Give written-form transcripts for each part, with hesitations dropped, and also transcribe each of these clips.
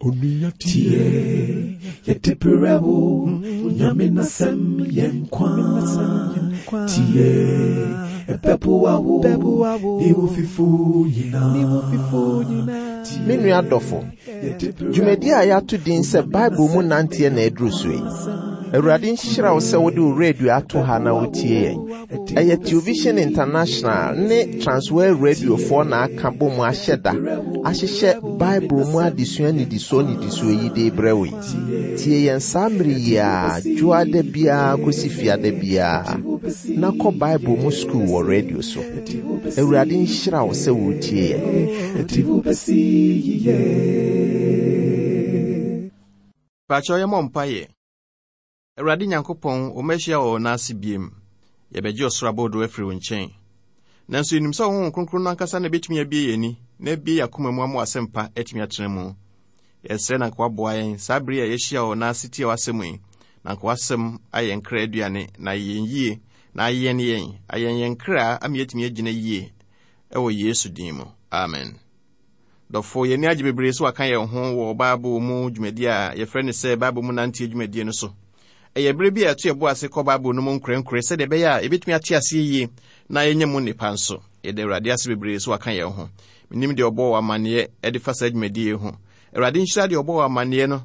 Onua tie, yɛde brɛ wo, Nyame n'asɛm yɛ nkwa. Tie, ɛbɛboa wo, ne wo fifo nyinaa. Me nua dɔfo, dwumadi a yɛato din sɛ Bible mu nanteɛ na aduru so yi. Awurade nhyira wo sɛ wode wo radio ato ha na wotie yɛn. Ɛyɛ Television International ne Transworld Radiofoɔ na aka bɔ mu ahyɛ da ahyehyɛ Bible mu adesua nnidisoɔ nnidisoɔ yi de rebrɛ wo yi. Tie yɛn saa mmere yi ara, dwoada biara kɔsi fiada biara, na kɔ Bible mu sukuu wɔ radio so. Awurade nhyira wo sɛ woretie yɛn. Pakyɛw yɛmmɔ mpaeɛ. Awurade Nyankopɔn, wo mma ahyia wɔ wo nan ase biem. Yɛbɛgye ɔsoro abodoo afiri wo nkyɛn. Nanso yɛnim sɛ wo Honhom Kronkron no ankasa na ɛbɛtumi abue yɛn ani na abue yɛn akoma mu ama w'asɛmpa atumi atena mu. Yɛsrɛ na anka woaboa yɛn saa bere yi a yɛahyia wɔ wo nan ase tie w'asɛm yi, na anka w'asɛm ayɛ yɛn kra aduane na ayɛ yɛn yie na ayɛn yɛn, ayɛn yɛn kra ama yɛatumi agyina yie ɛwɔ Yesu din mu. Amen. Dɔfo, yɛn ani agye bebree sɛ waka yɛn ho wɔ Bible mu dwumadi a yɛfrɛ no sɛ Bible mu nanteɛ dwumadie no so. Ɛyɛ bere bi a yɛto yɛn bo ase kɔ Bible no mu nkorɛnkorɛ sɛdeɛ ɛbɛyɛ a yɛbɛtumi ate aseɛ yie na yɛanya mu nnepa nso. Yɛda Awurade ase bebree sɛ waka yɛn ho. Menim deɛ ɔbɔɔ wɔ amanneɛ de fa saa dwumadie yi ho. Awurade nhyira deɛ ɔbɔɔ wɔ amanneɛ no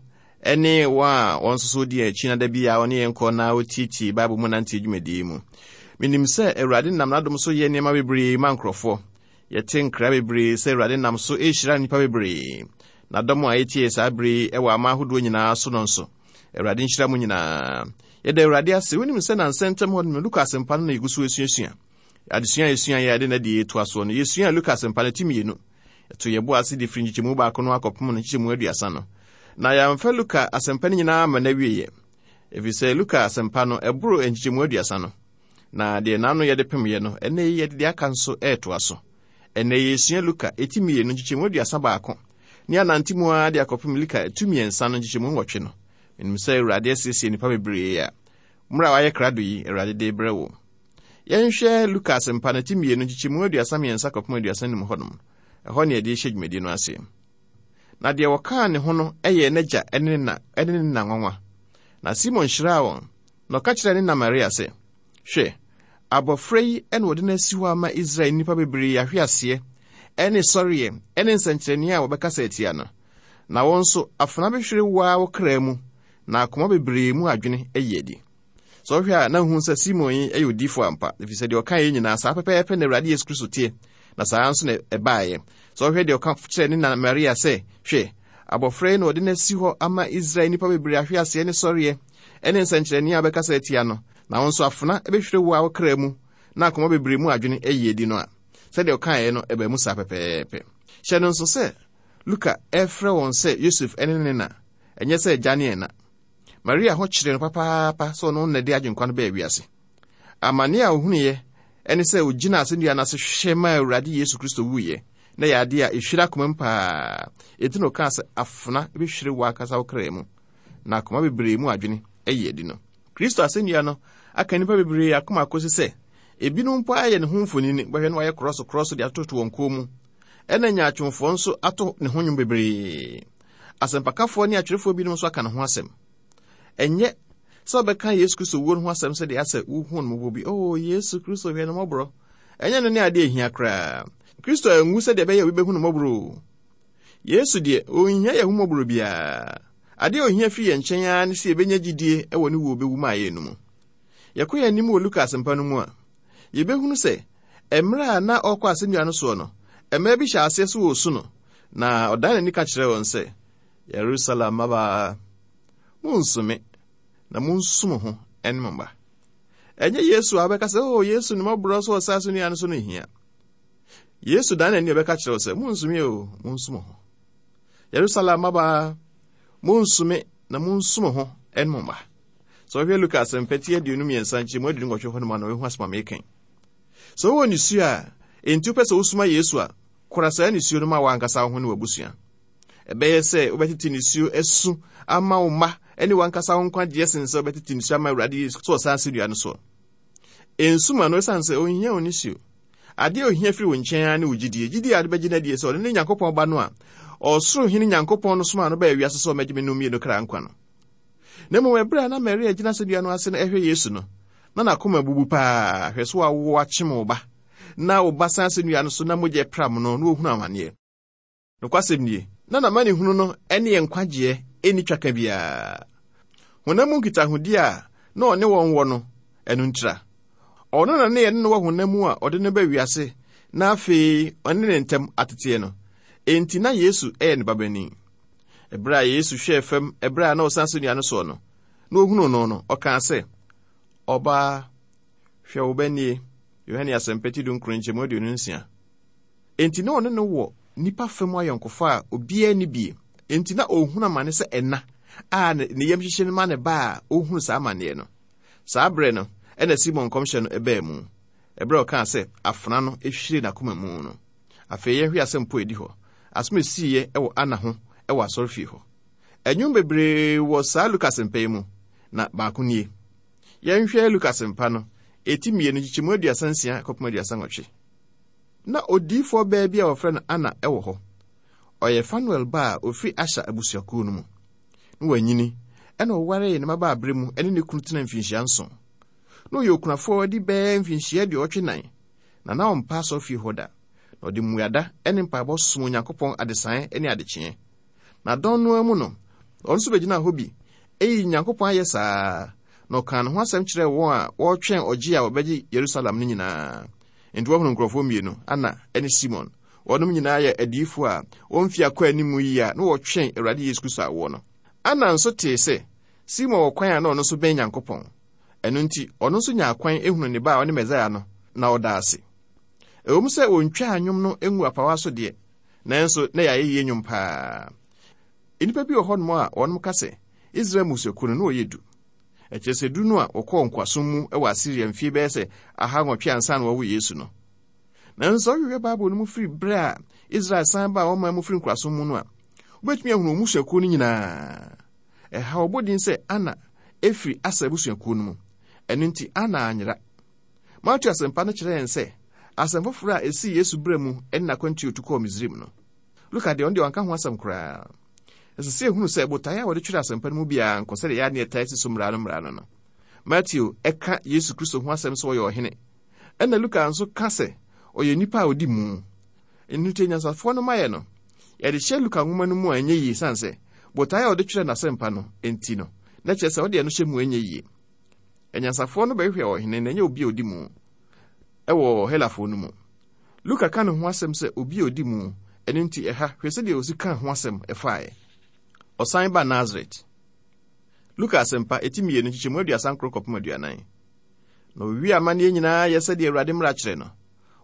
ne wɔn a wɔn nso so di yɛn akyi na da bi a wɔne yɛn kɔ na wɔtietie Bible mu nanteɛ dwumadie yi mu. Menim sɛ Awurade nam n'adom so yɛ nneɛma bebree ma nkurɔfoɔ. Yɛte nkra bebree sɛ Awurade nam so rehyira nnipa bebree. Na dɔm a etie saa bere yi wɔ aman ahodoɔ nyinaa so no nso, Awurade nhyira mo nyinaa. Yɛda Awurade ase. Wonim sɛ nansa ntam hɔ no, Luka Asɛmpa no na yɛgu so asuasua. Adesua a yɛsua yɛ ade na deɛ yɛtoa soɔ no, yɛsua Luka Asɛmpa no ti mmienu. Yɛto yɛn bo ase de firi nkyekyɛmu baako no akɔpem no nkyekyɛmu aduasa no. Na yɛamfa Luka Asɛmpa no nyinaa amma n'awieeɛ, ɛfiri sɛ Luka Asɛmpa no, ɛboro nkyekyɛmu aduasa no. Na deɛ n'ano yɛde pemeeɛ no, ɛnnɛ yi yɛde deɛ aka nso retoa so. Ɛnnɛ yɛresua Luka eti mmienu nkyekyɛmu 31 ne anante mu ara de akɔpem Luka tu mmiɛnsa no nkyekyɛmu nwɔtwe no. Menim sɛ Awurade asiesie nnipa bebree a mmerɛ a wayɛ krado yi, Awurade de rebrɛ wo. Yɛnhwɛ Luka asɛmpa no ti mmienu nkyekyɛmu 33 kɔpem 35 hɔnom. Ɛhɔ ne yɛde rehyɛ dwumadie no ase. Na deɛ wɔkaa ne ho no yɛɛ n'agya ne ne na ne ne na nwanwa. Na Simon hyiraa wɔn, Na ɔka kyerɛɛ ne na Maria sɛ, Hwɛ, abɔfra yi na wɔde no asi hɔ ama Israel nnipa bebree ahweaseɛ ne sɔreɛ ne nsɛnkyerɛnneɛ a wɔbɛkasa atia no. Na wo nso, afena bɛhwere wo ara wo kra mu, na akoma bebree mu adwene ayi adi. Sɛ wohwɛ a, na wohu sɛ Simon yi yɛ odiyifoɔ ampa, ɛfiri sɛ deɛ ɔkaeɛ nyinaa, saa pɛpɛɛpɛ na Awurade Yesu Kristo teɛ, na saa ara nso na ɛbaeɛ. Sɛ wohwɛ deɛ ɔka kyerɛɛ ne na Maria sɛ, Hwɛ, abɔfra yi na wɔde no asi hɔ ama Israel nnipa bebree ahweaseɛ ne sɔreɛ ne nsɛnkyerɛnneɛ a wobɛkasa atia no, na wo nso afena bɛhwire wo a wo kra mu na akoma bebree mu adwene ayi adi no a, sɛdeɛ ɔkaeɛ no ɛbaa mu saa pɛpɛɛpɛ. Hyɛ no nso sɛ Luka refrɛ wɔn sɛ Yosef ne ne na, ɛnyɛ sɛ agya ne ɛna. Maria ho kyeree no papaapa sɛ ɔno na ɛde agyenkwa no baa wiase. Amane a ohunuiɛ ne sɛ ogyina asɛnnua no ase hwɛ maa Awurade Yesu Kristo wuiɛ, na ɛyɛ adeɛ a ɛhwire akoma mu paa. Enti na ɔkaa sɛ afena bɛhwire w'ankasa wo kra mu. na akoma bebree mu adwene ayi adi no. Kristo asɛnnua no aka nnipa bebree akoma akosi sɛ ebinom mpo ayɛ ne ho mfonini, bɛhwɛ no wayɛ krɔso krɔso de atoto wɔn kɔn mu. Ɛna nyaatwomfoɔ nso ato ne ho nnwom bebree. Asɛmpakafoɔ ne atwerɛfoɔ binom nso aka ne ho asɛm. Ɛnyɛ sɛ wɔbɛka Yesu Kristo wuo no ho asɛm sɛdeɛ asɛ wohu no mmɔbɔ bi. Oh, Yesu Kristo hwɛ no mmɔborɔ. Ɛnyɛ no ne adeɛ ehia koraa. Kristo anwu sɛdeɛ ɛbɛyɛ obi bɛhu no mmɔborɔ o. Yesu deɛ, ɔnhia yɛn ahummɔborɔ biara. Adeɛ a ɔhia firi yɛn nkyɛn ara ne sɛ yɛbɛnya gyidie wɔ ne wuo ɔbɛwu maa yɛn no mu. Yɛkɔ yɛn anim wɔ Luka asɛmpa no mu a, yɛbɛhunu sɛ mmerɛ a na ɔrekɔ asɛnnua no soɔ no, mmaa bi hyɛ aseɛ sɛ wɔresu no, na ɔdan n'ani ka kyerɛɛ wɔn sɛ, Yerusalem mmabaa, monnsu me, na monsu mo ho ne mo mma. Ɛnyɛ Yesu a wobɛka sɛ, oh, Yesu ne mmɔborɔ so wɔ saa asɛnnua no so no hia. Yesu dan n'ani ɔbɛka kyerɛ wo sɛ, Monsu me o, monsu mo ho. Yerusalem mmabaa, monsu me na monsu mo ho ne mo mma. Sɛ wohwɛ Luka asɛmpa ti 23 nkyɛmu 28 hɔ nom a na wohu asɛm a meka yi. Sɛ wowɔ nisuo a enti wopɛ sɛ wosuma Yesu a, kora saa nisuo no ma w'ankasa wo ho ne w'abusua. Ɛbɛyɛ sɛ wobɛtete nisuo asu ama wo mma ne w'ankasa wo nkwagyeɛ sen sɛ wobɛtete nisuo ama Awurade Yesu sɛ ɔsan asɛnnua no soɔ. Nsu ma no esiane sɛ onhia wo nisuo. Adeɛ a ohia firi wo nkyɛn ara ne wo gyidie. Gyidie a wode bɛgye no adie sɛ ɔno ne Nyankopɔn Ba no a ɔsoro hene Nyankopɔn no somaa no baa wiase sɛ ɔmmɛgye me no mmienu kra nkwa no. Na mmom ɛberɛ a na Maria gyina asɛnnua no ase no ɛhwɛ Yesu no, na n'akoma abubu paa. Hwɛ so awo akyem wo ba, na wo ba san asɛnnua no so na mogya pram no na ohunu amaneɛ. Nokwasɛm nie, na n'amanehunu no ne yɛn nkwagyeɛ nni twaka biara. Honam mu nkitahodie a na ɔne wɔn wɔ no, ɛno ntira. Ɔno na ne yɛne no wɔ honam mu a ɔde no ba wiase na afei ɔne ne ntam ateteɛ no. Enti na Yesu yɛ ne babanin. Ɛberɛ a Yesu hwɛɛ fam ɛberɛ a na ɔsan asɛnnua no soɔ no, na ɔhunuu no no, ɔkaa sɛ, Ɔbaa, hwɛ wo ba nie. Yohane Asɛmpa ti 19 nkyɛmu 26. Enti na ɔne no wɔ nnipa fam ayɔnkofa a obiara nni bi. Enti na ɔrehunu amane sɛ ɛna a ne yam hyehye no ma ne ba a ɔrehunu saa amanneɛ no. Saa berɛ no na Simon nkɔmhyɛ no baa mu, ɛberɛ a ɔkaa sɛ afena no hwiree n'akoma mu no. Afei yɛnhwɛ asɛm po a ɛdi hɔ, asɛm a ɛsiiɛ wɔ Ana ho wɔ asɔrefie hɔ. Nnwom bebree wɔ saa Luka asɛmpa yi mu, na baako nie. Yɛnhwɛ Luka asɛmpa no, ɛti 2 nkyekyɛmu 36 kɔpem 38. Ná odiyifoɔ baa bi a wɔfrɛ no Ana wɔ hɔ. Ɔyɛ Fanuel ba a ɔfiri Asher abusuakuo no mu. Na wanyini, ɛna ɔwaree ne mmabaaberɛ mu ne ne kunu tenaa mfinhyia nson. Na ɔyɛ okunafoɔ adi bɛyɛ mfinhyia 84, na na ɔmpa asɔrefie hɔ da. Na ɔde mmuada ne mpaebɔ som Onyankopɔn adesaeɛ ne adekyeeɛ. Na dɔn no ara mu no, ɔno nso bɛgyinaa hɔ bi yii Nyankopɔn ayɛ saa ara, na ɔkaa ne ho asɛm kyerɛɛ wɔn a wɔretwɛn ɔgye a wɔbɛgye Yerusalem no nyinaa. Enti wɔahunu nkurɔfoɔ mmienu, Anna ne Simon. Wɔnom nyinaa yɛ adiyifoɔ a wɔn mfeɛ akɔ anim yie a na wɔretwɛn Awurade Yesu Kristo awoɔ no. Anna nso tee sɛ Simon wɔ kwan a na ɔno nso bɛn Nyankopɔn. Ɛno nti, ɔno nso nyaa kwan hunuu ne ba a ɔne Mesaia no, na ɔdaa ase. Ɛwom sɛ wɔntwaa nnwom no nguu apawa so deɛ, nanso na ɛyɛ ayɛyie nnwom paa. Nnipa bi wɔ hɔnom a wɔnom ka sɛ Israel mmusuakuo no na wɔyɛ du. Ɛkyerɛ sɛ du no a wɔkɔɔ nkoasom mu wɔ Asiria mfie bɛyɛ sɛ 800 ansa na wɔwo Yesu no. Nanso sɛ wohwehwɛ Bible no mu firi berɛ a Israel san baa wɔn man mu firi nkoasom mu no a, wobɛtumi ahunu wɔn mmusuakuo no nyinaa. Ɛha wɔbɔ din sɛ Ana ɛfiri Aser abusuakuo no mu. Ɛno nti Ana anyera. Mateo asɛmpa no kyerɛ yɛn sɛ asɛm foforɔ a ɛsii Yesu berɛ mu ne n'akwantuo tu kɔɔ Misraim no. Luka deɛ ɔno deɛ wanka ho asɛm koraa. Ɛsɛ sɛ yɛhunu sɛ botaeɛ a wɔde twerɛ asɛmpa no mu biara nkɔ sɛdeɛ yɛa ne ɛtae si so mmara no mmara no no. Mateo ɛka Yesu Kristo ho asɛm sɛ ɔyɛ ɔhene. Ɛna Luka nso ka sɛ ɔyɛ nipa a ɔdi mu. Ɛno nti anyansafoɔ no mayɛ no, yɛde hyɛ Luka nwoma no mu a ɛnyɛ yie sane sɛ botaeɛ a ɔde twerɛ n'asɛmpa no nti no, na kyerɛ sɛ ɔde ɛno hyɛ mu ɛnyɛ yie. Anyansafoɔ no bɛhwehwɛ ɔhene na ɛnyɛ obi a ɔdi mu ɛwɔ Helafoɔ no mu. Luka ka ne ho asɛm sɛ obi a odi mu, ɛno nti ɛha, hwɛ sɛdeɛ osi kaa ho asɛm faeɛ. Ɔsan ba Nasaret. Luka Asɛmpa, eti 2, nkyekyɛmu 39 kɔpem 40. Na wɔwiee amanneɛ nyinaa yɛ sɛdeɛ Awurade mmara kyerɛ no,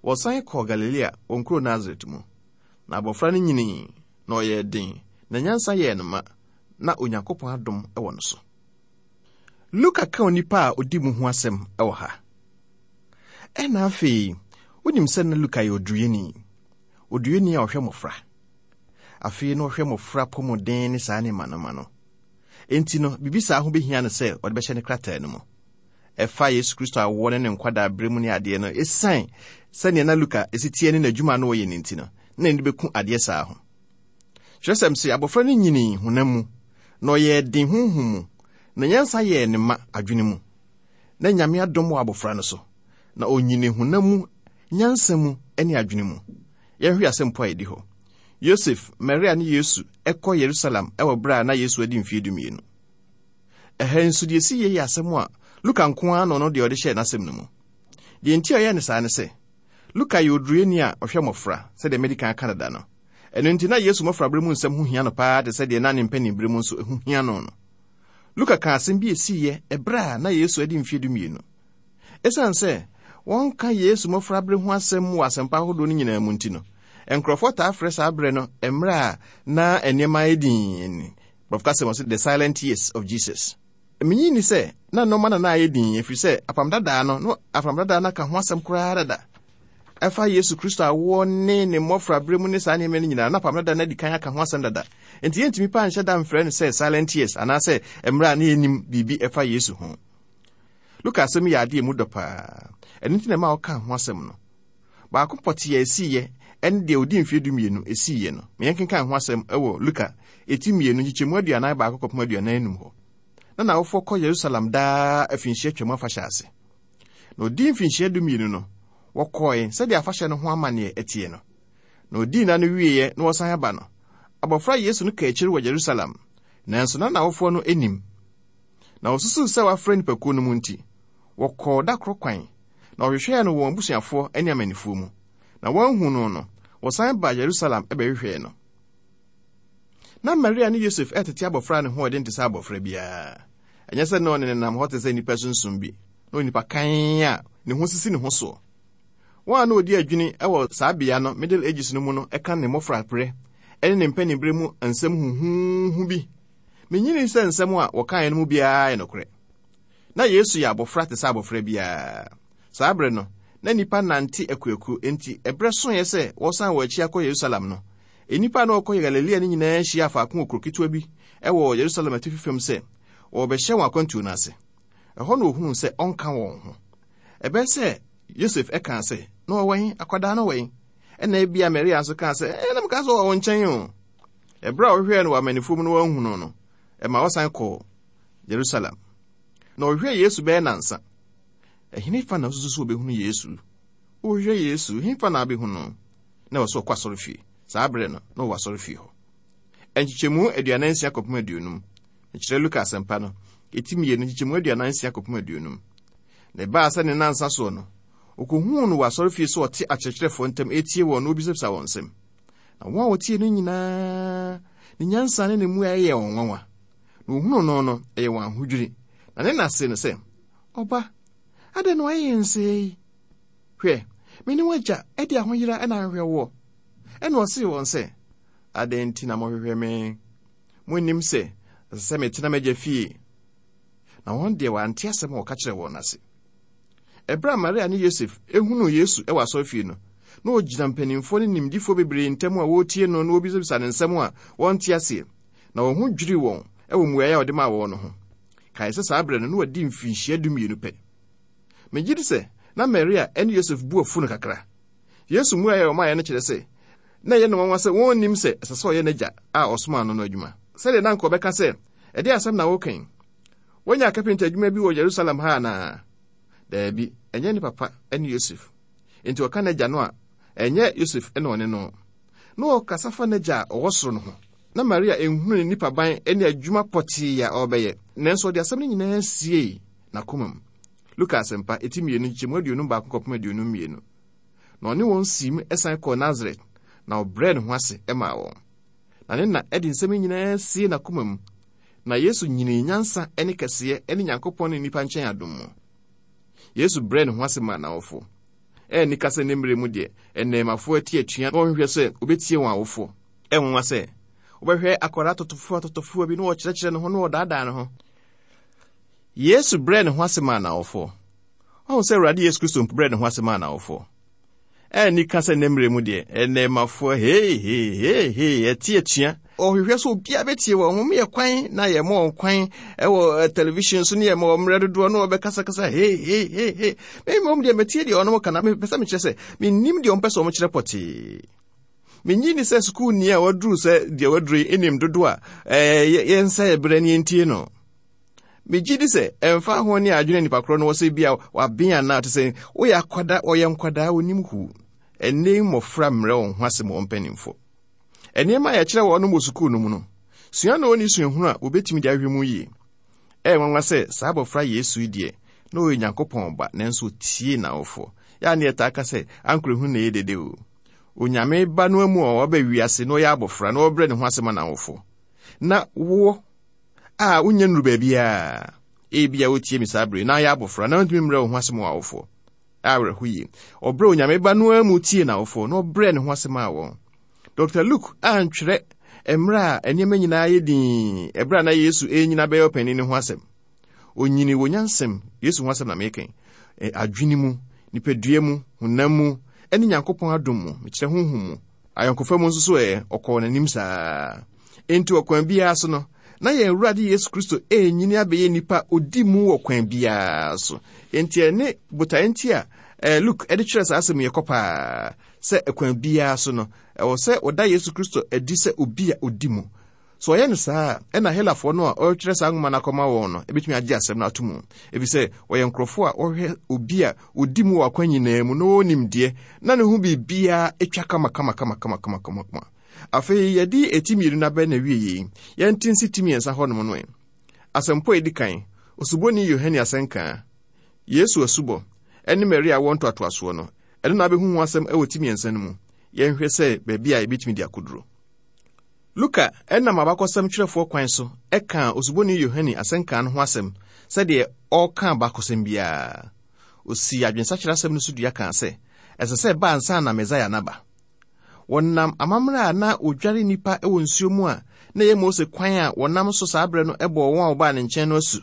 wɔsan kɔɔ Galilea, wɔn kuro Nasaret mu. Na abɔfra no nyinii, na ɔyɛɛ den, na nyansa yɛɛ no ma, na Onyankopɔn adom wɔ no so. Luka ka onipa a odi mu ho asɛm wɔ ha. Ɛnna afei, wonim sɛ na Luka yɛ oduruyɛni, oduruyɛni a ɔhwɛ mmofra. Afei na ɔhwɛ mmofra apɔmuden ne saa nneɛma no ma no. Enti no, biribi saa ho behia no sɛ ɔde bɛhyɛ ne krataa no mu. Ɛfa Yesu Kristo awoɔ ne ne nkwadaa bere mu ne adeɛ no, esiane sɛnea na Luka si teɛ ne n'adwuma a na ɔyɛ no nti no, na n'ani bɛku adeɛ saa ho. Kyerɛsɛm se abɔfra no nyinii honam mu, na ɔyɛɛ den honhom mu, na nyansa yɛɛ ne ma adwene mu. Na Nyame adom wɔ abɔfra no so, na onyinii honam mu, nyansa mu, ne adwene mu. Yɛnhwɛ asɛmpo a edi hɔ. Yosef, Maria ne Yesu kɔ Yerusalem wɔ bere a na Yesu adi mfeɛ 12. Ɛha nso deɛ esi yie yɛ asɛm a Luka nko ara na ɔno deɛ ɔde hyɛɛ n'asɛm no mu. Deɛ nti a ɔyɛɛ no saa ne sɛ, Luka yɛ oduruyɛni a ɔhwɛ mmɔfra, sɛdeɛ madi kan aka dada no. Ɛno nti na Yesu mmɔfrabere mu nsɛm ho hia no paa te sɛ deɛ na ne mpanin bere mu nso ɛho hia no no. Luka kaa asɛm bi a esiiɛ ɛberɛ a na Yesu adi mfeɛ 12. Esiane sɛ wɔnka Yesu mmɔfrabere ho asɛm wɔ asɛmpa ahodoɔ no nyinaa mu nti no, nkurɔfoɔ taa frɛ saa berɛ no mmerɛ a na nneɛma ayɛ dinn. Borɔfo kasa mu wɔse the silent years of Jesus. Minnye nni sɛ na nneɛma na na ayɛ dinn, ɛfiri sɛ Apam Dadaa no, na Apam Dadaa no aka ho asɛm koraa dada. Ɛfa Yesu Kristo awoɔ ne ne mmɔfraberɛ mu ne saa nneɛma no nyinaa, na Apam Dada no adi kan aka ho asɛm dada. Enti yɛntumi paa nhyɛ da mfrɛ no sɛ silent years anaasɛ mmerɛ a na yɛnnim biribi ɛfa Yesu ho. Luka asɛm yɛ adeɛ mu dɔ paa. Ɛno nti na ɛma ɔkaa ho asɛm no. Baako pɔtee a ɛsiiɛ ne deɛ ɔdii mfeɛ 12 siiɛ no. Ma yɛnkenkan ho asɛm wɔ Luka eti 2 nkyekyɛmu 41 kɔpem 45 hɔ. Na n'awofoɔ kɔ Yerusalem daa afinhyia Twam afahyɛ ase. Na ɔdii mfinhyia 12 no, wɔkɔɔe sɛdeɛ afahyɛ no ho amanneɛ teɛ no. Na ɔdii nna no wieeɛ na wɔsan aba no, abɔfra Yesu no kaa akyiri wɔ Yerusalem, nanso na n'awofoɔ no nnim. Na wɔsusuu sɛ wafrɛ nnipakuo no mu nti, wɔkɔɔ da koro kwan, na wɔhwehwɛɛ no wɔ wɔn abusuafoɔ ne amannifoɔ mu. Na wɔanhu no no, wɔsan baa Yerusalem bɛhwehwɛɛ no. Na Maria ne Yosef retete abɔfra a ne ho yɛ den te sɛ abɔfra biara. Ɛnyɛ sɛ na ɔne nenam hɔ te sɛ nnipa sunsum bi, na onipa kann a ne ho sisi ne ho soɔ. Wɔn a na wɔdi adwini wɔ saa bea no Middle Ages no mu no ka ne mmɔfraberɛ ne ne mpaninberɛ mu nsɛm huhuuhu bi. Minnye sɛ nsɛm a wɔkaeɛ no mu biara yɛ nokorɛ. Na Yesu yɛ abɔfra te sɛ abɔfra biara. Saa bere no, na nnipa nante akuakuo, enti ɛberɛ soeɛ sɛ wɔresan wɔn akyi akɔ Yerusalem no, nnipa a na wɔrekɔ Galilea no nyinaa hyiaa faako wɔ kuro ketewa bi wɔ Yerusalem atifi fam sɛ wɔrebɛhyɛ wɔn akwantuo no ase. Ɛhɔ na wɔhunuu sɛ ɔnka wɔn ho. Ɛbɛyɛ sɛ Yosef kaa sɛ, Na ɔwɔ he? Akwadaa no wɔ he? Ɛnna ebia Maria nso kaa sɛ, Ɛɛ, na mekaa sɛ ɔwɔ wo nkyɛn o. Ɛberɛ a ɔhwehwɛɛ no wɔ amannifoɔ mu no wanhu no no, ɛma ɔsan kɔɔ Yerusalem. Na ɔhwehwɛɛ Yesu bɛyɛ nnansa. Ɛhefa na wosusu sɛ wobɛhunu Yesu? Wohwehwɛ Yesu, hefa na wobɛhu no? Na ɛwɔ sɛ ɔkɔ asɔrefie. Saa berɛ no, na ɔwɔ asɔrefie hɔ. Nkyekyɛmu 46 kɔpem 50. Mekyerɛ Luka Asɛmpa no, eti 2, nkyekyɛmu 46 kɔpem 50. Na ɛbaa sɛ ne nnansa soɔ no, ɔkɔhuu no wɔ asɔrefie sɛ ɔte akyerɛkyerɛfoɔ ntam retie wɔn na ɔrebisabisa wɔn nsɛm. Na wɔn a wɔtiee no nyinaa, ne nyansa ne ne mmuaeɛ yɛɛ wɔn nwanwa. Na wɔhunuu no no, ɛyɛ wɔn ahodwiri. Na ne na see no sɛ, Ɔba, adɛn na woayɛ yɛn sɛɛ yi? Hwɛ, me ne w'agya de ahoyera na ahwehwɛ woɔ. Ɛnna ɔsee wɔn sɛ, Adɛn nti na mohwehwɛ me? Monnim sɛ ɛsɛ sɛ metena m'agya fie? Na wɔn deɛ wɔante asɛm a ɔka kyerɛɛ wɔn no ase. Ɛberɛ a Maria ne Yosef hunuu Yesu wɔ asɔrefie no, na ɔgyina mpanimfoɔ ne nimdifoɔ bebree ntam a wɔretie no na wɔrebisabisa no nsɛm a wɔnte aseɛ, na wɔn ho dwirii wɔn wɔ mmuaeɛ a ɔde maa wɔn no ho. Kae sɛ saa berɛ no, na wadi mfinhyia 12 pɛ. Megye di sɛ na Maria ne Yosef bu afu no kakra. Yesu mmuae a ɔmaeɛ no kyerɛ sɛ na ɛyɛ no nwanwa sɛ wɔnnim sɛ ɛsɛ sɛ ɔyɛ n'Agya a ɔsomaa no no adwuma. Sɛdeɛ na anka ɔbɛka sɛ, Ɛdeɛn asɛm na woreka yi? Woanya kapenta adwuma bi wɔ Yerusalem ha anaa? Daabi, ɛnyɛ ne papa ne Yosef. Enti ɔka n'agya no a, ɛnyɛ Yosef na ɔne no. Na ɔkasa fa n'agya a ɔwɔ soro no ho. Na Maria nhunu ne nipaban ne adwuma pɔtee a ɔrebɛyɛ, nanso ɔde asɛm no nyinaa siee n'akoma mu. Luka Asɛmpa, eti 2, nkyekyɛmu 51 kɔpem 52. Na ɔne wɔn siim san kɔɔ Nasaret, na ɔbrɛɛ ne ho ase maa wɔn. Na ne na de nsɛm yi nyinaa siee n'akoma mu. Na Yesu nyinii nyansa ne kɛseyɛ ne Nyankopɔn ne nnipa nkyɛn adom mu. Yesu brɛɛ ne ho ase maa n'awofo. Ɛyɛ anika sɛ ne mmere mu deɛ, nnɛɛmafoɔ ati atua na wɔhwehwɛ sɛ wɔbɛtie wɔn awofoɔ. Ɛyɛ nwanwa sɛ wobɛhwɛ akwadaa tɔtɔfoɔ atɔtɔfoɔ bi na ɔkyerɛkyerɛ ne ho na ɔdaadaa ne ho. Yesu brɛɛ ne ho ase maa n'awofoɔ. Wahu sɛ Awurade Yesu Kristo mpo brɛɛ ne ho ase maa n'awofoɔ. Ɛnni ka sɛ nnɛ mmerɛ mu deɛ, nnɛɛmafoɔ hei hei hei hei ɛte atua. Ɔhwehwɛ sɛ obiara bɛtie wɔn. Wɔn yɛ kwan na yɛma wɔn kwan wɔ eh, television so ne yɛma wɔn mmerɛ dodoɔ na wɔbɛkasakasa hei hei hei hei. Me mmom deɛ metie deɛ wɔn ka na mepɛ sɛ mekyerɛ sɛ mennim deɛ wɔmpɛ sɛ wɔkyerɛ pɔtee. Menyi ni sɛ sukuuni a waduru sɛ deɛ waduru yi nim dodo a eh, yɛnsa yɛ berɛ ne yɛntie no. Megye di sɛ ɛmfa ho ne adwene nipa korɔ no wɔ sɛ bi a waben anaa te sɛ woyɛ akwadaa wɔyɛ nkwadaa wɔnim huu. Ɛnnɛ mmɔfra mmerɛ wɔn ho ase ma wɔn mpanimfoɔ. Nneɛma a yɛkyerɛ wɔn wɔ sukuu no mu no, sua na wɔnni suahunu a wɔbɛtumi de ahwɛ mu yie. Ɛyɛ nwanwa sɛ saa abɔfra Yesu yi deɛ, na ɔyɛ Onyankopɔn ba, nanso ɔtiee n'awofoɔ. Yɛ a na yɛtaa ka sɛ, ankorɛhunu na ɛyɛ dede o. Onyame ba no amu a waba wiase na ɔyɛ abɔfra na ɔbrɛ ne ho ase ma n'awofoɔ. Na woɔ a wonnya nnuru baabiara, ebia wotie me saa bere na ayɛ abɔfra na wontumi mmerɛ wo ho ase ma w'awofoɔ. Awerɛho yie. Ɔbrɛ Onyame ba no ara mu tiee n'awofoɔ na ɔbrɛɛ ne ho ase maa wɔn. Dr. Luke antwerɛ mmerɛ a nneɛma nyinaa yɛ dinn ɛberɛ a na Yesu renyini abɛyɛ ɔpanin no ho asɛm. Onyini wɔ nyansam, Yesu ho asɛm na meka yi, adwene mu, nipadua mu, honam mu, ne Nyankopɔn adom mu, mekyerɛ honhom mu. Ayɔnkofa mu nso so ɛ, ɔkɔɔ n'anim saa. Enti ɔkwan biara so no, na yɛn Awurade Yesu Kristo renyini abɛyɛ nipa a odi mu wɔ kwan biara so. Enti ɛne botae nti a eh, Luke de kyerɛ saa asɛm yi kɔ paa. sɛ ɛkwan biara so no, ɛwɔ sɛ wɔda Yesu Kristo adi sɛ obi a odi mu. Sɛ ɔyɛ no saa a, ɛnna Helafoɔ no a ɔretwerɛ saa nwoma no akɔma wɔn no bɛtumi agye asɛm no ato mu, ɛfiri sɛ wɔyɛ nkurɔfoɔ a wɔhwɛ obi a ɔdi mu wɔ akwan nyinaa mu na ɔwɔ nimdeɛ na ne ho biribiara twa kamakamakamakamakamakamakama. Afei yɛde eti mmienu no abɛn n'awie yei. Yɛnte nsi ti mmiɛnsa hɔnom no ɛ. Asɛmpɔ a ɛdi kan, Osuboni Yohane asɛnka, Yesu asubɔ, ne Maria awoɔ ntoatoasoɔ no, ɛno na abɛhu ho asɛm wɔ ti mmiɛnsa no mu. Yɛnhwɛ sɛ baabi a yɛbɛtumi de akɔduro. Luka nam abakɔsɛm twerɛfoɔ kwan so kaa Osuboni Yohane asɛnka no ho asɛm sɛdeɛ ɔreka abakɔsɛm biara. Ɔsii adwensakyera asɛm no so dua kaa sɛ ɛsɛ sɛ ɛba ansa na Mesaia no aba. Wɔnam amammerɛ a na wɔdware nnipa wɔ nsuo mu a na ɛyɛ Mose kwan a wɔnam so saa berɛ no bɔɔ wɔn a wɔbaa ne nkyɛn no asu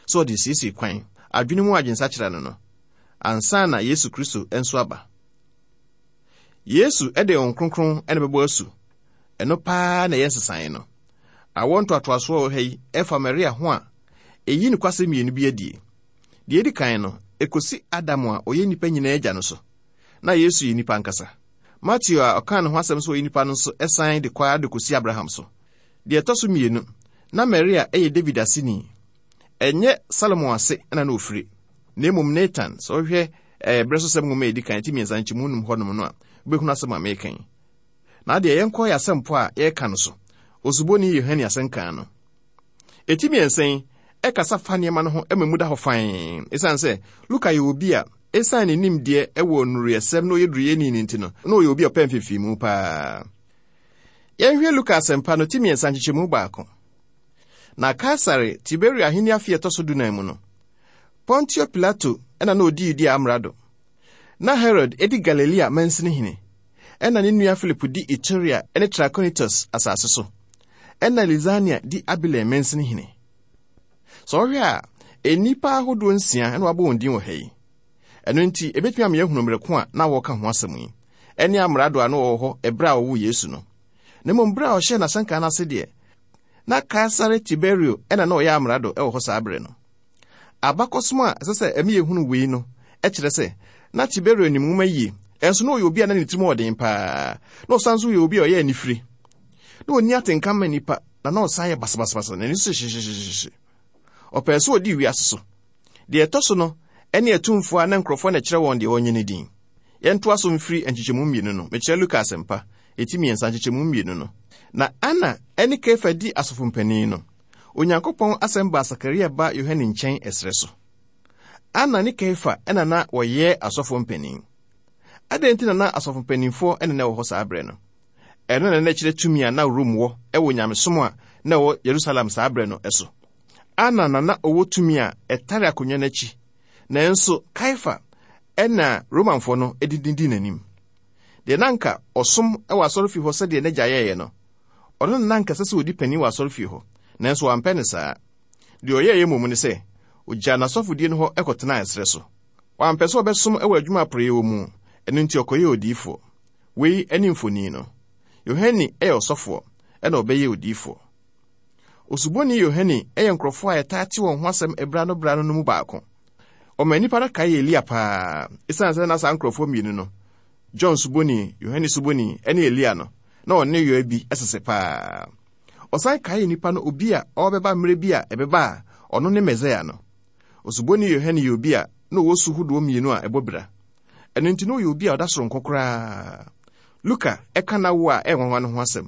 sɛ ɔde resiesie kwan, adwene mu adwensakyera no no, ansa na Yesu Kristo nso aba. Yesu de Honhom Kronkron na ɛbɛbɔ asu. Ɛno paa na ɛyɛ nsesaeɛ no. Awoɔ ntoatoasoɔ wɔ ha yi ɛfa Maria ho a, ɛyi nokwasɛm mmienu bi adie. Deɛ ɛdi kan no, ɛkɔsi Adam a ɔyɛ nnipa nyinaa agya no so. Na Yesu yɛ nipa ankasa. Mateo a ɔkaa ne ho asɛm sɛ ɔyɛ nipa no nso san de kɔ ara de kɔsi Abraham so. Deɛ ɛtɔ so mmienu, na Maria yɛ David aseni. Ɛnyɛ Salomo ase na na ɔfiri, na mmom Natan. Sɛ wohwɛ eh, Berɛsosɛm nwoma a ɛdi kan, ti mmiɛnsa nkyɛmu num hɔnom no a, wobɛhunu asɛm a meka yi. Na adeɛ yɛnkɔ yɛ asɛmpɔ a yɛreka no so, Osuboni Yohane asɛnka no. Ɛti mmiɛnsa yi ɛkasa fa nneɛma no ho ma mu da hɔ fann. Ɛsiane sɛ Luka yɛ obi a ɛsiane ne nimdeɛ wɔ nnuruyɛsɛm na ɔyɛ duruyɛni no nti no, na ɔyɛ obi a ɔpɛ mfimfinimu paa. Yɛnhwɛ Luka asɛmpa no ti mmiɛnsa nkyekyɛmu baako. Na Kaesare Tiberio ahenni afe a ɛtɔ so dunan mu no, Pontio Pilato na na odi Yudea amrado. Na Herod di Galilea mansini hene, ɛnna ne nua Filipo di Iturea ne Trakonitus asase so, ɛnna Lisania di Abilen mansini hene. Sɛ ɔhwɛ a, nnipa ahodoɔ nsia na wɔabɔ wɔn din wɔ ha yi. Ɛno nti, ebetumi ama yɛahunu mmere ko a na wɔreka ho asɛm yi, ɛne amrado a na wɔwɔ hɔ ɛberɛ a wɔwoo Yesu no. Na mmom bere a ɔhyɛɛ n'asɛnka no ase deɛ, na Kaesare Tiberio na na ɔyɛ amrado wɔ hɔ saa bere no. Abakɔsɛm a ɛsɛ sɛ ɛma yɛhunu wei no kyerɛ sɛ na Tiberio nim nwoma yie, ɛnso na ɔyɛ obi a na ne tirim yɛ den paa, na ɔsan nso yɛ obi a ɔyɛ anifire. Na ɔnni atenka ma nnipa, na na ɔsan yɛ basabasabasa, n'ani so hyehyehyehye. Ɔpɛɛ sɛ ɔdi wiase so. Deɛ ɛtɔ so no ne atumfoɔ a na nkurɔfoɔ na ɛkyerɛ wɔn deɛ wɔnyɛ no din. Yɛntoa so mfiri nkyekyɛmu mmienu no, mekyerɛ Luka Asɛmpa, eti mmiɛnsa nkyekyɛmu mmienu no. Na Ana ne Kefa di asɔfo mpanin no, Onyankopɔn asɛm baa Sakaria ba Yohane nkyɛn ɛserɛ so. Ana ne Kaiafa na na wɔyɛ asɔfoɔ mpanin. Adɛn nti na na asɔfo mpanimfoɔ na na ɛwɔ hɔ saa berɛ no? Ɛno na na ɛkyerɛ tumi a na Rome wɔ wɔ nyamesom a na ɛwɔ Yerusalem saa berɛ no so. Ana na na ɔwɔ tumi a ɛtare akonnwa no akyi, nanso Kaiafa na Romanfoɔ no de didi n'anim. Deɛ na anka ɔsom wɔ asɔrefie hɔ sɛdeɛ n'agya yɛeɛ no, Ɔno na na anka ɛsɛ sɛ odi panyin wɔ asɔrefie hɔ, nanso wampɛ no saa. Deɛ ɔyɛeɛ mmom ne sɛ, ogyaa n'asɔfodie no hɔ kɔtenaa ɛserɛ so. Wampɛ sɛ ɔbɛsom wɔ adwuma a porɔeɛ wɔ mu, ɛno nti ɔkɔyɛɛ odiyifoɔ. Wei ne mfoni no. Yohane yɛ ɔsɔfoɔ, ɛna ɔbɛyɛɛ odiyifoɔ. Osuboni Yohane yɛ nkurɔfoɔ a yɛtaa te wɔn ho asɛm berɛ ano berɛ ano no mu baako. Ɔma nnipa no kae Elia paa, ɛsiane sɛ na saa nkurɔfoɔ mmienu no, John Suboni, Yohane Suboni, ne Elia no, na wɔn nneyɔe bi sese paa. Ɔsan kaee nnipa no obi a ɔrebɛba mmerɛ bi a ɛbɛba a ɔno ne Mesaia no. Osuboni Yohane yɛ obi a na ɔwɔ su hodoɔ mmienu a ɛbɔ bira. Ɛno nti na ɔyɛ obi a ɔda soronko koraa. Luka ka n'awo a ɛyɛ nwanwa no ho asɛm.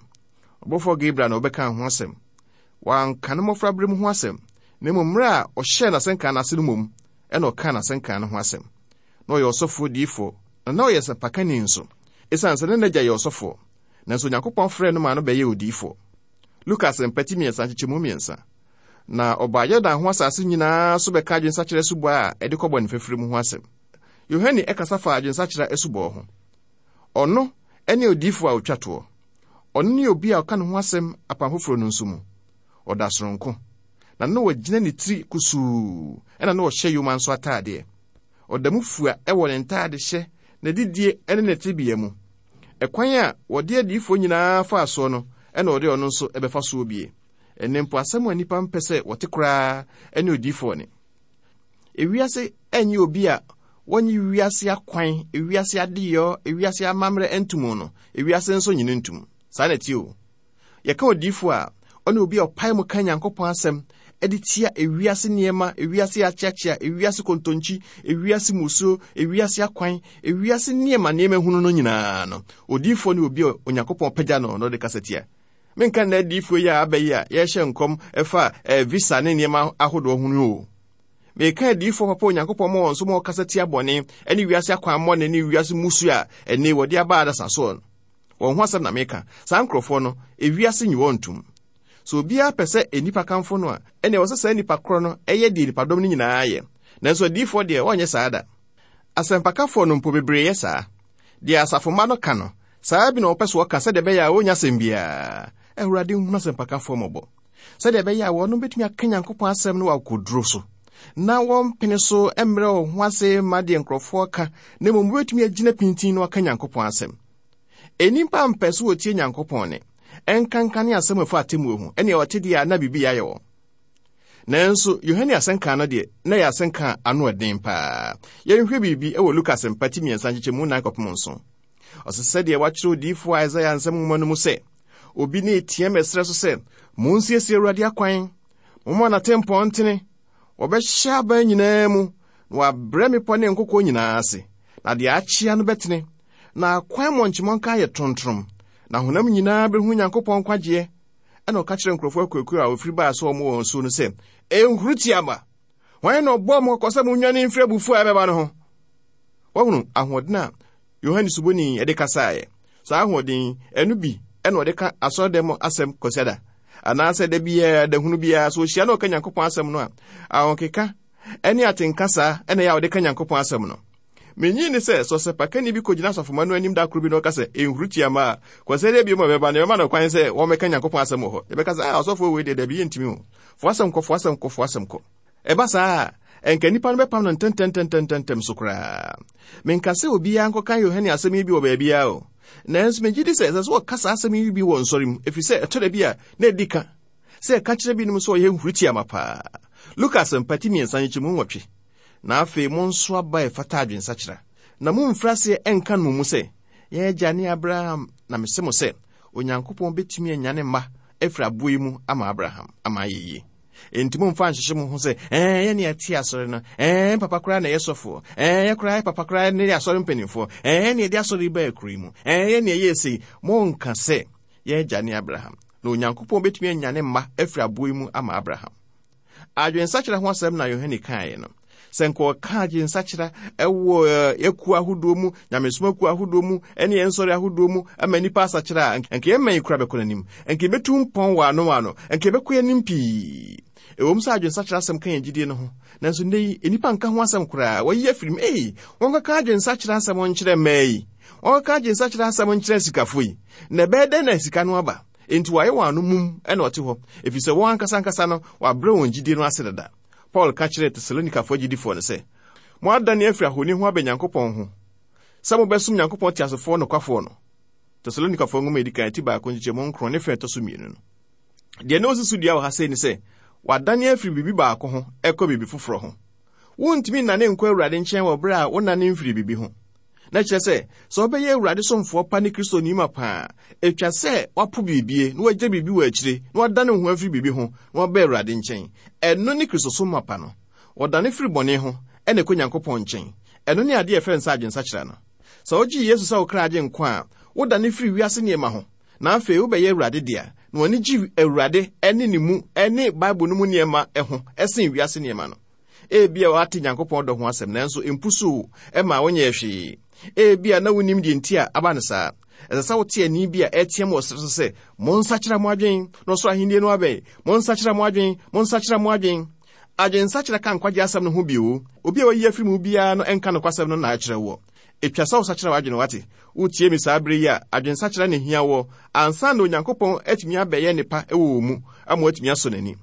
Ɔbɔfoɔ Gabriel na ɔbɛkaa ho asɛm. Wanka ne mmɔfraberɛ mu ho asɛm, na mmom mmerɛ a ɔhyɛɛ n'asɛnka no ase no mmom na ɔkaa n'asɛnka no ho asɛm. Na ɔyɛ ɔsɔfoɔ diyifoɔ, na na ɔyɛ sɛmpakani nso. Esiane sɛ na n'agya yɛ ɔsɔfoɔ, nanso Onyankopɔn frɛɛ no maa no bɛyɛɛ odiyifoɔ. Luka Asɛmpa ti mmiɛnsa nkyekyɛmu mmiɛnsa. Na ɔbaa Yordan ho asase nyinaa so bɛka adwensakyera asubɔ a ɛde kɔ bɔne fafiri mu ho asɛm. Yohane kasa faa adwensakyera asubɔ ho. Ɔno ne odiyifoɔ a ɔtwa toɔ. Ɔno ne obi a ɔka ne ho asɛm Apam Foforɔ no nso mu. Ɔda soronko. Na na wagyina ne tiri kusuu, ɛna na ɔhyɛ yoma nso ataadeɛ. Ɔda mu fua wɔ ne ntaadehyɛ, n'adidie ne ne tebea mu. Ɛkwan a wɔde adiyifoɔ nyinaa faa soɔ no na ɔde ɔno nso bɛfa soɔ bie. Ɛnnɛ mpo asɛm a nnipa mpɛ sɛ wɔte koraa ne odiyifoɔ nne. Ewiase nnye obi a wɔnye wiase akwan, ewiase adeyɔ, ewiase amammerɛ ntom no, ewiase nso nye no ntom. Saa na ɛteɛ o. Yɛka odiyifo a, ɔne obi a ɔpae mu ka Nyankopɔn asɛm de tia ewiase nneɛma, ewiase akyeakyea, ewiase kontonkyi, ewiase mmusuo, ewiase akwan, ewiase nneɛma nneɛma hunu no nyinaa no. Odiyifoɔ ne obi a Onyankopɔn pagya no na ɔde kasa tia. Menka nnɛ adiyifoɔ yi a aba yi a yɛrehyɛ nkɔm ɛfa eh, visa ne nneɛma ahodoɔ ho no o. Meka adiyifoɔ papa Onyankopɔn ma wɔn so ma wɔkasa tia bɔne ne wiase akwammɔne ne wiase mmusuo a ɛnne wɔde aba adasa soɔ no. Wɔn ho asɛm na meka. Saa nkurɔfoɔ no, ewiase nyi wɔn ntom. Sɛ obiara pɛ sɛ nnipa kamfo no a, ɛnneɛ ɛwɔ sɛ saa nnipa korɔ no yɛ deɛ nnipadɔm no nyinaa yɛ. Nanso adiyifoɔ deɛ, wɔnyɛ saa da. Asɛmpakafoɔ no mpo, bebree yɛ saa. Deɛ asafomma no ka no, saa ara bi na wɔpɛ sɛ wɔka sɛdeɛ ɛbɛyɛ a wɔnnya asɛm biara. Awurade nhunu asɛmpakafoɔ mmɔbɔ, sɛdeɛ ɛbɛyɛ a wɔnom bɛtumi aka Nyankopɔn asɛm no wɔ akokoduro so, na wɔmpene so mmrɛ wɔn ho ase mma deɛ nkurɔfoɔ ka, na mmom wɔbɛtumi agyina pintinn na wɔaka Nyankopɔn asɛm. Nnipa mpɛ so wɔtie Nyankopɔn ne, ɛnkanka ne asɛm a ɛfa atemmuo ho, ɛnea wɔte deɛ a na biribi ayɛ wɔn. Nanso Yohane asɛnka no deɛ, na ɛyɛ asɛnka a ano ɛden paa. Yɛnhwɛ biribi wɔ Luka asɛmpa ti mmiɛnsa nkyekyɛmu nan kɔpem nson. Ɔsɛ sɛdeɛ wɔakyerɛ odiyifoɔ Isaia nsɛm nwoma no mu sɛ, obi ne teɛm ɛserɛ so sɛ, Monsiesie Awurade akwan, momma n'atempɔn ntene. Wɔbɛhyɛ aban nyinaa mu, na wɔabrɛ mmepɔ ne nkokoɔ nyinaa ase, na deɛ akyea no bɛtene, na akwan mmɔnkyemmɔnka ayɛ tontrom, na honam nyinaa bɛhu Nyankopɔn nkwagyeɛ. Ɛna ɔka kyerɛ nkurɔfoɔ akuakuo a wɔfiri baa sɛ wɔn wɔ nsuo no sɛ, Ɛnhuru tia ma! Hwan na ɔbɔɔ mo kɔkɔ sɛ monnwane mfiri abufuo a ɛbɛba no ho? Wɔhunu ahoɔden a Yohane Suboni de kasaeɛ. Saa ahoɔden ɛno bi ɛna ɔde ka asɔredan mu asɛm Kwasiada anaasɛ da biara da hunu biara so ɔhyia na ɔka Nyankopɔn asɛm no a, ahokeka ɛne atenka saa ɛna ɛyɛ a ɔde ka Nyankopɔn asɛm no. Minnye nni sɛ, sɛ ɔsɛmpakani bi kogyina asafomma no anim da koro bi na ɔka sɛ, Nhuru tia mma a, Kwasiada bio ma bɛba no, yɛbɛma no kwan sɛ wɔmmɛka Nyankopɔn asɛm wɔ hɔ. Yɛbɛka sɛ, Ah, ɔsɔfo wei deɛ, dabi, yɛntumi o. Fa w'asɛm kɔ, fa w'asɛm kɔ, fa w'asɛm kɔ. Ɛba saa a, ɛnka nnipa no bɛpam no ntɛmntɛmntɛmntɛm so koraa. Menka sɛ obiara nkɔka Yohane asɛm yi bi wɔ baabiara o. Nanso megye di sɛ ɛsɛ sɛ wɔka saa asɛm yi bi wɔ nsɔre mu, ɛfiri sɛ ɛtɔ da bi a na ɛdi ka sɛ ɛka kyerɛ binom sɛ ɔyɛ nhurutiama paa. Luka Asɛmpa ti mmiɛnsa nkyekyɛmu nwɔtwe. Na afei monso aba a ɛfata adwensakyera, na momfiri aseɛ nka no mo mu sɛ, 'Yɛn agya ne Abraham, na mese mo sɛ, Onyankopɔn bɛtumi anyane mma afiri aboɔ yi mu ama Abraham ama ayɛ yie. Enti momfa nhyehye mo ho sɛ, 'Ɛɛ, yɛne yɛte asɔre no, ɛɛ, papa koraa na ɛyɛ sɔfoɔ, ɛɛ, yɛ koraa papa koraa ne asɔre mpanimfoɔ, ɛɛ, yɛne yɛde asɔre yi baa kuro yi mu, ɛɛ, yɛne ɛyɛɛ sei. Monka sɛ, 'Yɛn agya ne Abraham, na Onyankopɔn bɛtumi anyane mma afiri aboɔ yi mu ama Abraham. Adwensakyera ho asɛm na Yohane kaeɛ no. Sɛ nka ɔka adwensakyera wɔ akuo ahodoɔ mu, nyamesom akuo ahodoɔ mu, ne yɛn nsɔre ahodoɔ mu ama nnipa asakyera a, nka yɛn man yi kora bɛkɔ n'anim. Nka yɛbɛtu mpɔn wɔ ano ano. Nka yɛbɛkɔ yɛn anim pii. Ɛwom sɛ adwensakyera asɛm ka yɛn gyidie no ho, nanso nnɛ yi, nnipa nka ho asɛm koraa. Wɔayi afiri mu. Ei, wɔnkɔka adwensakyera asɛm nkyerɛ mmaa yi. Wɔnkɔka adwensakyera asɛm nkyerɛ asikafoɔ yi. Na ɛbɛyɛ dɛn na sika no aba? Enti wɔayɛ wɔn ano mum na wɔte hɔ, efisɛ wɔn ankasa ankasa no, wɔabrɛ wɔn gyidie no ase dada. Paul ka kyerɛɛ Tesalonikafoɔ agyidifoɔ no sɛ, Moadane afiri ahoni ho aba Nyankopɔn ho, sɛ mobɛsom Nyankopɔn teasefoɔ nokwafoɔ no. Tesalonikafoɔ nwoma a ɛdi kan ti baako nkyekyɛmu nkron ne fɛ ɛtɔ so mmienu no. Deɛ na ɔsi so dua wɔ ha sei ne sɛ, wɔadane afiri biribi baako ho kɔ biribi foforɔ ho. Wontumi nnane nkɔ Awurade nkyɛn wɔ berɛ a wonnane mfiri biribi ho. Na kyerɛ sɛ, sɛ wobɛyɛ Awurade somfoɔ pa ne Kristoni mapa a, ɛtwa sɛ woapo biribie na woagya biribi wɔ akyire na woadane wo ho afiri biribi ho na woaba Awurade nkyɛn. Ɛno ne Kristosom mapa no. Wɔdane firi bɔne ho na ɛkɔ Nyankopɔn nkyɛn. Ɛno ne adeɛ a yɛfrɛ no sɛ adwensakyera no. Sɛ wogye Yesu sɛ wo kra agyenkwa a, wodane firi wiase nneɛma ho na afei wobɛyɛ Awurade dea, na w'ani gye Awurade ne ne mu ne Bible no mu nneɛma ho sen wiase nneɛma no. Ebia woate Nyankopɔn dɔ ho asɛm, nanso empusuw ma wonyɛɛ hwee. Ebia na wunnim deɛ nti a aba no saa. Ɛsɛ sɛ wote ɛnne bi a ɛreteɛm wɔ soro so sɛ, Monsakyera mo adwene, na ɔsoro ahenni no abɛn! Monsakyera mo adwene! Monsakyera mo adwene! Adwensakyera ka nkwagye asɛm no ho bio. Obi a wayi afiri mu biara no nka nokwasɛm no na akyerɛ woɔ. Etwa sɛ wosakyera w'adwene, wate? Wotie me saa bere yi a, adwensakyera na ehia woɔ ansa na Onyankopɔn atumi abɛyɛ nnepa wɔ wo mu ama woatumi asɔ n'ani.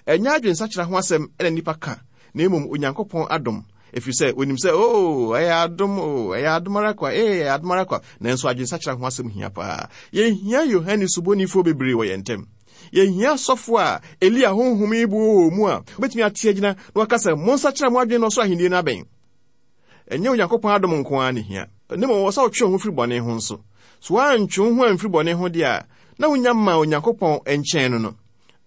Ɛnyɛ adwensakyera ho asɛm na nnipa ka, na mmom Onyankopɔn adom, ɛfiri sɛ wɔnim sɛ, oo, ɛyɛ adom, oo, ɛyɛ adom ara kwa, ee, ɛyɛ adom ara kwa. Nanso adwensakyera ho asɛm hia paa. Yɛhia Yohane Subonifoɔ bebree wɔ yɛn ntam. Yɛhia asɔfo a Elia honhom yi bu wɔ wɔn mu a wɔbɛtumi ate agyina na wɔaka sɛ, Monsakyera mo adwene na ɔsoro ahenni no abɛn. Ɛnyɛ Onyankopɔn adom nko ara na ehia, na mmom ɛwɔ sɛ wotwe wo ho firi bɔne ho nso. So woantwe wo ho amfiri bɔne ho deɛ a, na wunnya mmaa Onyankopɔn nkyɛn no no.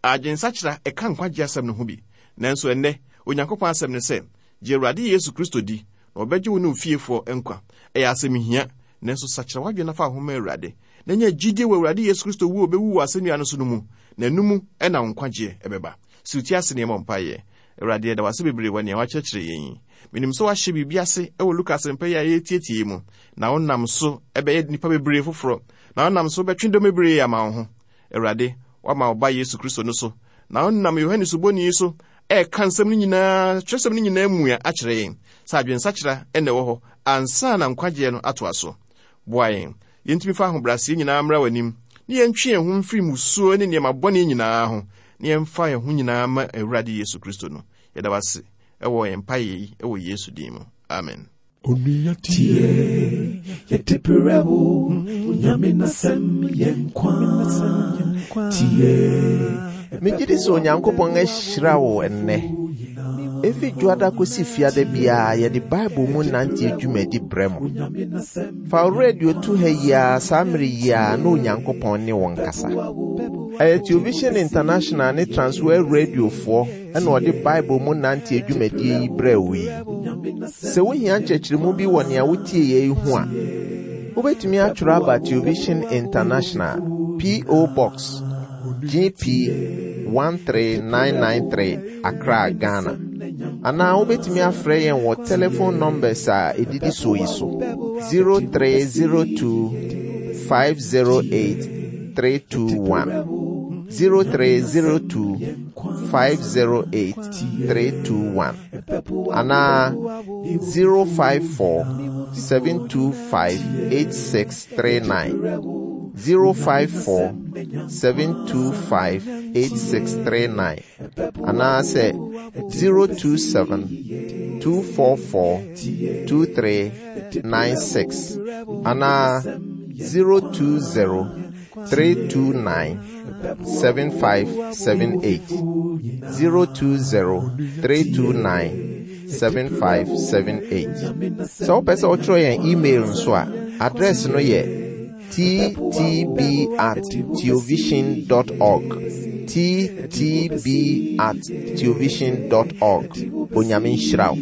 Adwensakyera ka nkwagye asɛm no ho bi. Nanso ɛnnɛ, Onyankopɔn asɛm ne sɛ, Gye Awurade Yesu Kristo di, na wɔbɛgye wo ne wo fiefoɔ nkwa. Ɛyɛ asɛm hia, nanso sakyera w'adwene na fa wo ho ma Awurade, na nya gyidie wɔ Awurade Yesu Kristo wuo a ɔbɛwu wɔ asɛnnua no so no mu, na ɛno mu na wo nkwagyeɛ bɛba. Si wo ti ase na yɛmmɔ mpaeɛ. Awurade, yɛda wo ase bebree wɔ nea woakyerɛkyerɛ yɛn yi. Menim sɛ woahyɛ biribi ase wɔ Luka asɛmpa yi a yɛretietie yi mu, na wonam so bɛyɛ nnipa bebree foforɔ, na wonam so bɛtwe dɔm bebree ama wo ho. Awurade, woama wo Ba Yesu Kristo no so, na wonam Yohane Suboni yi so ɛreka nsɛm no nyinaa, twerɛsɛm no nyinaa mua akyerɛ yɛn sɛ adwensakyera na ɛwɔ hɔ ansa na nkwagyeɛ no atoa so. Boa yɛn yɛntumi fa ahobrɛaseɛ nyinaa mmra w'anim, ne yɛntwe yɛn ho mfiri mmusuo ne nneɛma bɔne nyinaa ho, na yɛmfa yɛn ho nyinaa ma Awurade Yesu Kristo no. Yɛda wase ɛwɔ yɛn mpaeɛ yi ɛwɔ Yesu din mu. Amen. Onua tie, yɛde brɛ wo, Onyame n'asɛm yɛ nkwa. Tie. Megye di sɛ Onyankopɔn ahyira wo ɛnnɛ. Efi Dwoada kosi Fiada biara yɛde Bible mu nanteɛ dwumadi brɛ mo. Fa wo radio to ha yi ara saa mmere yi ara na Onyankopɔn ne wo nkasa. Ɛyɛ Television International ne Transworld Radiofoɔ na ɔde Bible mu nanteɛ dwumadie yi brɛɛ wo yi. Sɛ wohia nkyerɛkyerɛmu bi wɔ nea wotieeɛ yi ho a, wobɛtumi atwerɛ aba Television International, P.O. Box, GP 13993, Accra, Ghana. Anaa wobɛtumi afrɛ yɛn wɔ telephone numbers a ɛdidi soɔ yi so 0302 508 321 0302 508 321 anaa 054 725 8639 054 725 8639 anaasɛ 027 244 2396 anaa 020 329 7578 020 329 7578. Sɛ wopɛ sɛ wotwerɛ yɛn email nso a, address no yɛ ttb at theovision dot org ttb at theovision dot org. Onyame nhyira wo.